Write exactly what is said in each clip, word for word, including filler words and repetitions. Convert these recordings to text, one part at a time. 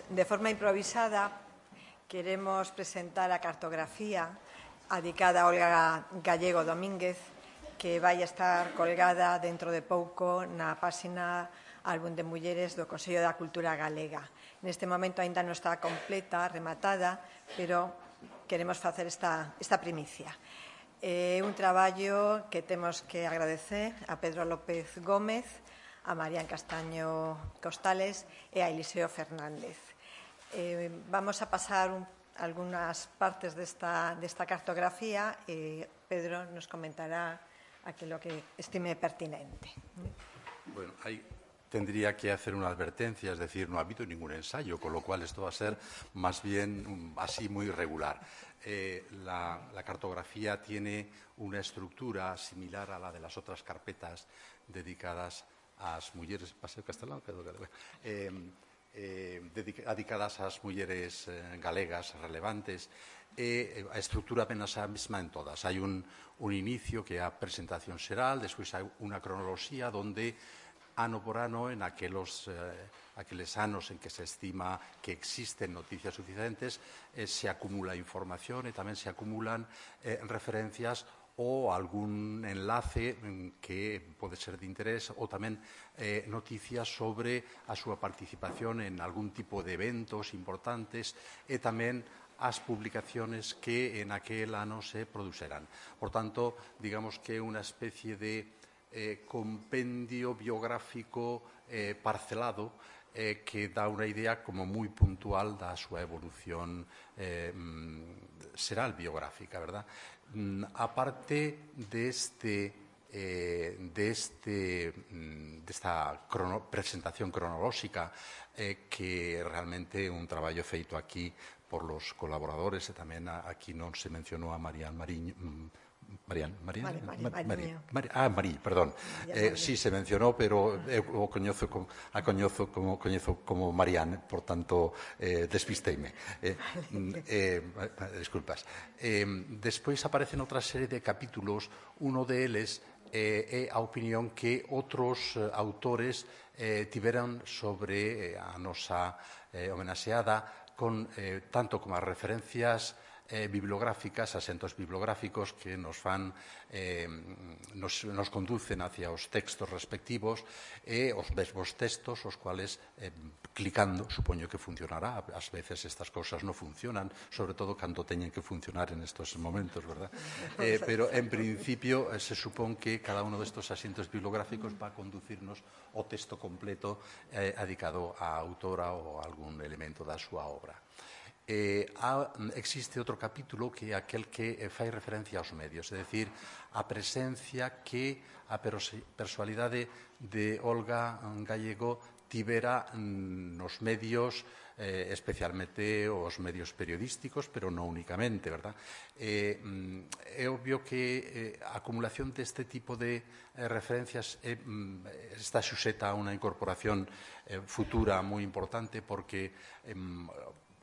de forma improvisada, queremos presentar a cartografía adicada a Olga Gallego Domínguez, que vai estar colgada dentro de pouco na páxina Álbum de Mulleres do Consello da Cultura Galega. Neste momento aínda non está completa, rematada, pero queremos facer esta, esta primicia. É un traballo que temos que agradecer a Pedro López Gómez, a Marián Castaño Costales e a Eliseo Fernández. Eh, vamos a pasar un, algunas partes desta, desta cartografía e Pedro nos comentará aquilo que estime pertinente. Bueno, ahí tendría que hacer una advertencia, es decir, no ha habido ningún ensayo, con lo cual esto va a ser más bien um, así muy regular. Eh, la, la cartografía tiene una estructura similar a la de las otras carpetas dedicadas ás mulleres, paseo castelán, eh, eh, dedicadas ás mulleres eh, galegas relevantes, e a estructura apenas a mesma en todas. Hai un, un inicio que é a presentación xeral, despois hai unha cronoloxía donde ano por ano, en aquelos, eh, aqueles anos en que se estima que existen noticias suficientes, eh, se acumula información e tamén se acumulan eh, referencias ou algún enlace que pode ser de interés ou tamén eh, noticias sobre a súa participación en algún tipo de eventos importantes e tamén as publicaciones que en aquel ano se produxeran. Por tanto, digamos que é unha especie de eh, compendio biográfico eh, parcelado eh, que dá unha idea como moi puntual da súa evolución eh, xeral biográfica, verdad? Aparte deste, eh, deste, desta crono, presentación cronolóxica eh, que realmente é un traballo feito aquí por los colaboradores e tamén aquí non se mencionou a Marián Mariño, Marián, Marián, Mari, Mari, Mari, Mari, ah, Marí, perdón. Eh, sí, se mencionou, pero eu o coñezo como, a coñezo como, coñezo como Marián, por tanto, eh, despisteime. Eh, eh, disculpas. Eh, despois aparecen outra serie de capítulos, uno deles é eh, a opinión que outros eh, autores eh, tiveran sobre eh, a nosa eh, homenaxeada, con eh, tanto como as referencias Eh, bibliográficas, asentos bibliográficos que nos fan, eh, nos, nos conducen hacia os textos respectivos e os mesmos textos, os cuales, eh, clicando, supoño que funcionará. Ás veces estas cousas non funcionan, sobre todo cando teñen que funcionar en estos momentos, verdad? Eh, pero, en principio, eh, se supón que cada uno destos asentos bibliográficos va a conducirnos o texto completo eh, adicado á autora ou a algún elemento da súa obra. Eh, ha, existe outro capítulo que é aquel que eh, fai referencia aos medios, é dicir, a presencia que a persoalidade de Olga Gallego tivera mm, nos medios, eh, especialmente os medios periodísticos, pero non únicamente, verdad? Eh, mm, é obvio que eh, a acumulación deste tipo de eh, referencias eh, mm, está suxeta a unha incorporación eh, futura moi importante porque eh,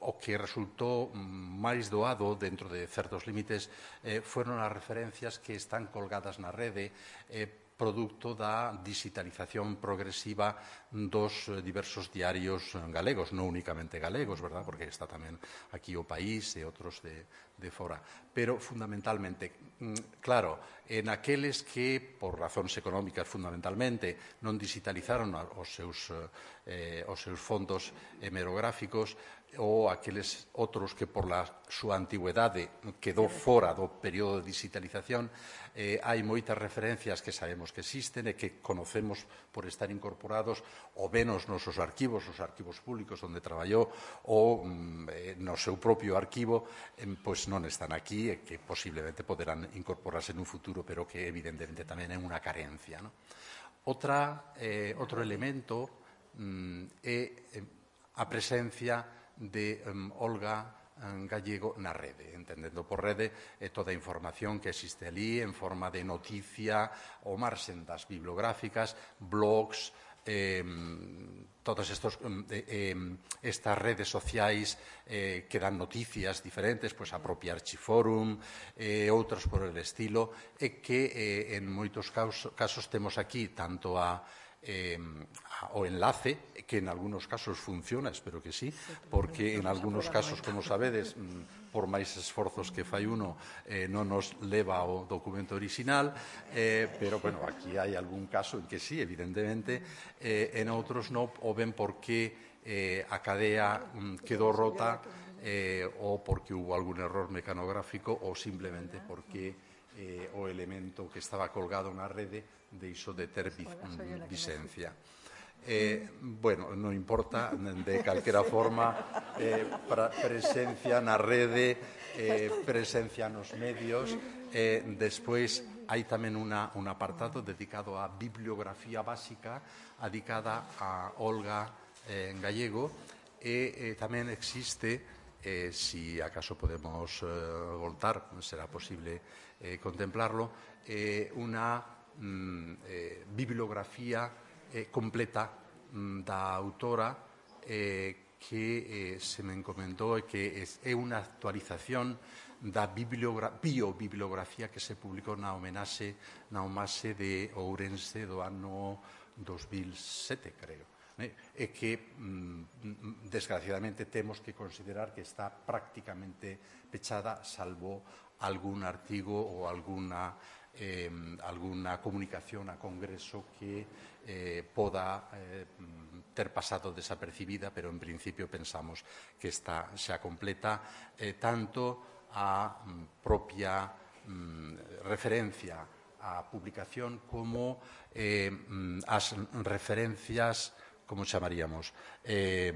o que resultou máis doado dentro de certos límites eh, foron as referencias que están colgadas na rede eh, producto da digitalización progresiva dos diversos diarios galegos, non únicamente galegos, verdad? Porque está tamén aquí o País e outros de, de fora. Pero, fundamentalmente, claro, en aqueles que, por razóns económicas fundamentalmente, non digitalizaron os seus, eh, os seus fondos hemerográficos, ou aqueles outros que por la súa antigüedade quedou fora do período de digitalización, eh, hai moitas referencias que sabemos que existen e que conocemos por estar incorporados ou ben nos nosos arquivos, os arquivos públicos onde traballou, ou mm, no seu propio arquivo, eh, pois non están aquí e que posiblemente poderán incorporarse nun futuro, pero que evidentemente tamén é unha carencia, ¿no? Outra, eh, outro elemento mm, é eh, a presencia de um, Olga um, Gallego na rede, entendendo por rede eh, toda a información que existe ali en forma de noticia ou marxen das bibliográficas, blogs, eh, todas estos, eh, estas redes sociais eh, que dan noticias diferentes, pois a propia Archiforum, e eh, outros por el estilo, e que eh, en moitos casos, casos temos aquí tanto a eh, o enlace, que en algunos casos funciona, espero que sí, porque en algunos casos, como sabedes, por máis esforzos que fai uno, eh, non nos leva ao documento original, eh, pero, bueno, aquí hai algún caso en que sí, evidentemente, eh, en outros non, o ben porque eh, a cadea mm, quedou rota eh, ou porque hubo algún error mecanográfico ou simplemente porque eh, o elemento que estaba colgado na rede deixou de ter visencia. Eh, bueno, non importa, de calquera forma, eh, presencia na rede, eh, presencia nos medios. Eh, despois, hai tamén una, un apartado dedicado á bibliografía básica, dedicada a Olga eh, en gallego, e eh, tamén existe, eh, si acaso podemos eh, voltar, será posible eh, contemplarlo, eh, una mm, eh, bibliografía eh, completa mm, da autora eh, que eh, se me encomendou e que é unha actualización da biobibliografía que se publicou na homenaxe na homenaxe de Ourense do ano dos mil sete, creo. E que, mm, desgraciadamente, temos que considerar que está prácticamente pechada, salvo algún artigo ou alguna Eh, alguna comunicación a Congreso que eh, poda eh, ter pasado desapercibida, pero en principio pensamos que está xa completa, eh, tanto a mm, propia mm, referencia á publicación como eh, as referencias, como chamaríamos, eh,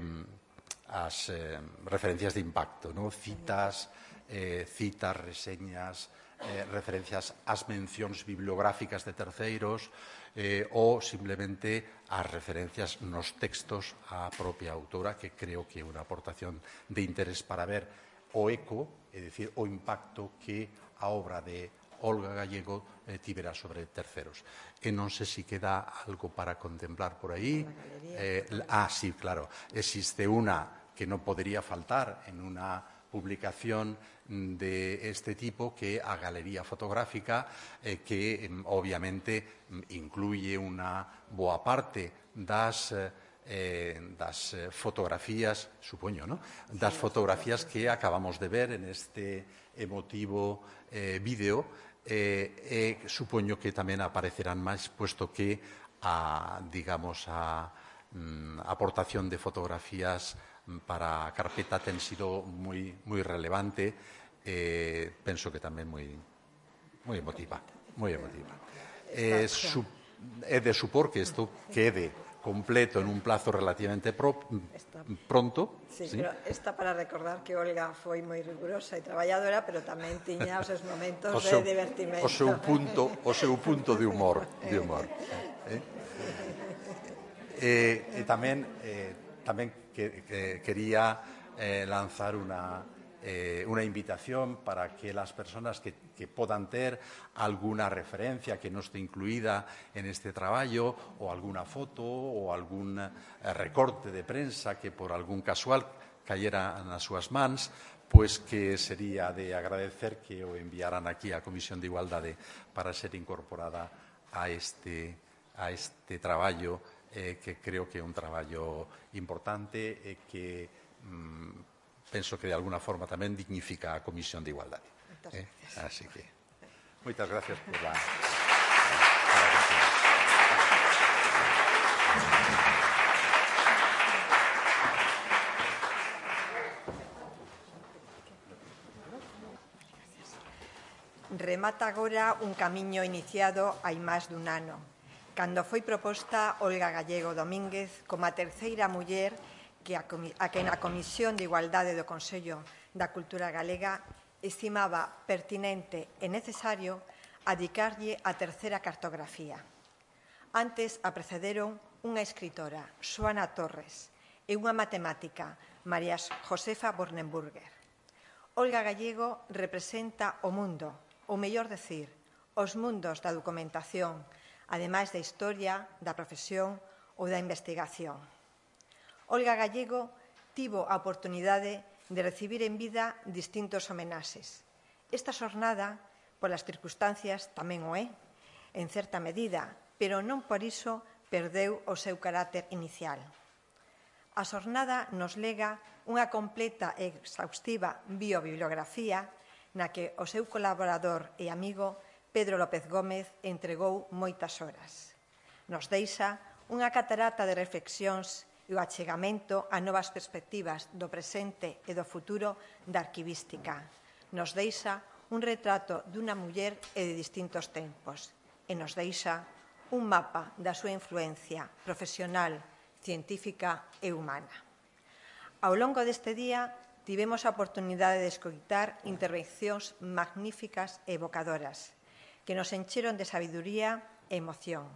as eh, referencias de impacto, ¿no? citas, eh, citas, reseñas, Eh, referencias ás mencións bibliográficas de terceiros eh, ou simplemente as referencias nos textos á propia autora, que creo que é unha aportación de interés para ver o eco, é dicir, o impacto que a obra de Olga Gallego eh, tivera sobre terceros. E non sei se queda algo para contemplar por aí. Eh, ah, sí, claro. Existe unha que non podería faltar en unha publicación de este tipo, que a galería fotográfica, eh, que obviamente incluye unha boa parte das eh, das fotografías, supoño, ¿no? das fotografías que acabamos de ver en este emotivo eh, vídeo, eh, e supoño que tamén aparecerán máis, puesto que a, digamos, a mm, aportación de fotografías para a carpeta ten sido moi, moi relevante, eh, penso que tamén moi, moi emotiva, moi emotiva. Eh, su, é de supor que isto quede completo en un plazo relativamente pro, pronto. Sí, ¿sí? Pero está para recordar que Olga foi moi rigurosa e traballadora, pero tamén tiña os seus momentos o seu, de divertimento. O seu punto, o seu punto de humor, de humor. Eh? Eh, e tamén eh, tamén que, que quería eh, lanzar una, eh, una invitación para que las personas que, que podan ter alguna referencia que non esté incluída en este traballo, ou alguna foto ou algún eh, recorte de prensa que por algún casual cayera nas súas mans, pois que sería de agradecer que o enviaran aquí á Comisión de Igualdade para ser incorporada a este, a este traballo, Eh, que creo que é un traballo importante e que mm, penso que de alguna forma tamén dignifica a Comisión de Igualdade. Eh? Así que, moitas gracias por la... Remata agora un camiño iniciado hai máis dun ano, cando foi proposta Olga Gallego Domínguez como a terceira muller que a, a que na Comisión de Igualdade do Consello da Cultura Galega estimaba pertinente e necesario adicarlle a terceira cartografía. Antes a precederon unha escritora, Xoana Torres, e unha matemática, María Josefa Bornenburger. Olga Gallego representa o mundo, ou mellor decir, os mundos da documentación, ademais da historia, da profesión ou da investigación. Olga Gallego tivo a oportunidade de recibir en vida distintos homenaxes. Esta xornada, polas circunstancias, tamén o é, en certa medida, pero non por iso perdeu o seu carácter inicial. A xornada nos lega unha completa e exhaustiva biobibliografía na que o seu colaborador e amigo Pedro López Gómez entregou moitas horas. Nos deixa unha catarata de reflexións e o achegamento a novas perspectivas do presente e do futuro da arquivística. Nos deixa un retrato dunha muller e de distintos tempos e nos deixa un mapa da súa influencia profesional, científica e humana. Ao longo deste día tivemos a oportunidade de escoitar intervencións magníficas e evocadoras que nos encheron de sabiduría e emoción.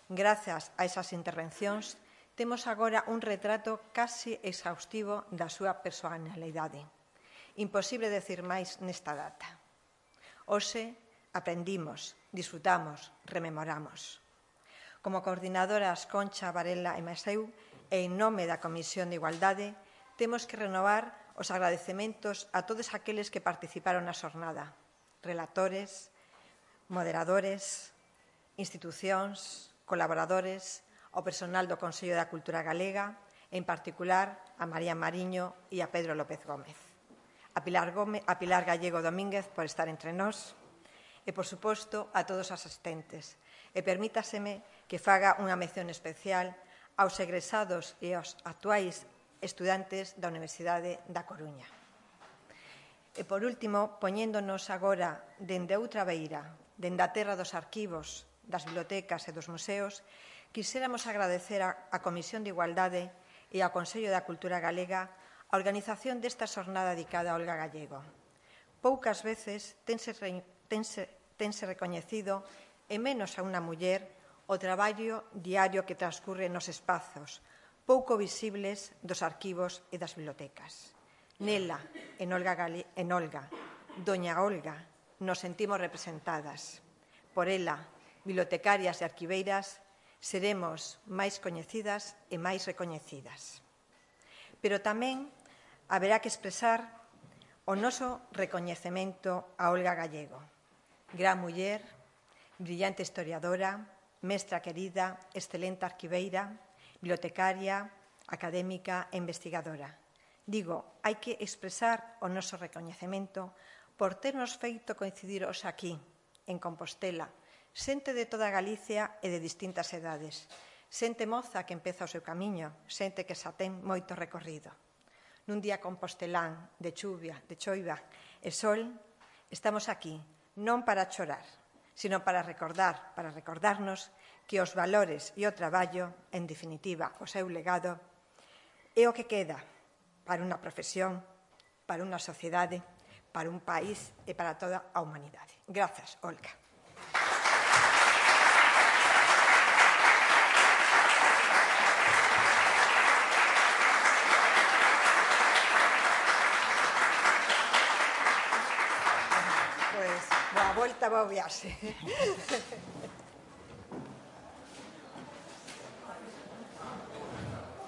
Grazas a esas intervencións temos agora un retrato casi exhaustivo da súa personalidade. Imposible decir máis nesta data. Hoxe aprendimos, disfrutamos, rememoramos. Como coordinadoras Concha, Varela e Maseu, e en nome da Comisión de Igualdade, temos que renovar os agradecementos a todos aqueles que participaron na xornada, relatores, moderadores, institucións, colaboradores, ao personal do Consello da Cultura Galega, en particular a María Mariño e a Pedro López Gómez, a Pilar, Gómez, a Pilar Gallego Domínguez por estar entre nós, e, por suposto, a todos os asistentes. E permítaseme que faga unha mención especial aos egresados e aos actuais estudantes da Universidade da Coruña. E, por último, poñéndonos agora dende outra beira, dende a terra dos arquivos, das bibliotecas e dos museos, quixéramos agradecer á Comisión de Igualdade e ao Consello da Cultura Galega a organización desta xornada dedicada a Olga Gallego. Poucas veces tense, tense, tense recoñecido, e menos a unha muller, o traballo diario que transcurre nos espazos pouco visibles dos arquivos e das bibliotecas. Nela, en Olga, Gale... en Olga, Doña Olga, nos sentimos representadas. Por ela, bibliotecarias e arquiveiras, seremos máis coñecidas e máis recoñecidas. Pero tamén haberá que expresar o noso recoñecemento a Olga Gallego, gran muller, brillante historiadora, mestra querida, excelente arquiveira, bibliotecaria, académica e investigadora. Digo, hai que expresar o noso recoñecemento por ternos feito coincidir hoxe aquí, en Compostela, xente de toda Galicia e de distintas edades, xente moza que empeza o seu camiño, xente que xa ten moito recorrido. Nun día compostelán, de chuvia, de choiva e sol, estamos aquí, non para chorar, sino para recordar, para recordarnos que os valores e o traballo, en definitiva, o seu legado, é o que queda para unha profesión, para unha sociedade, para un país e para toda a humanidade. Grazas, Olga. Pois, boa volta, boa viaxe.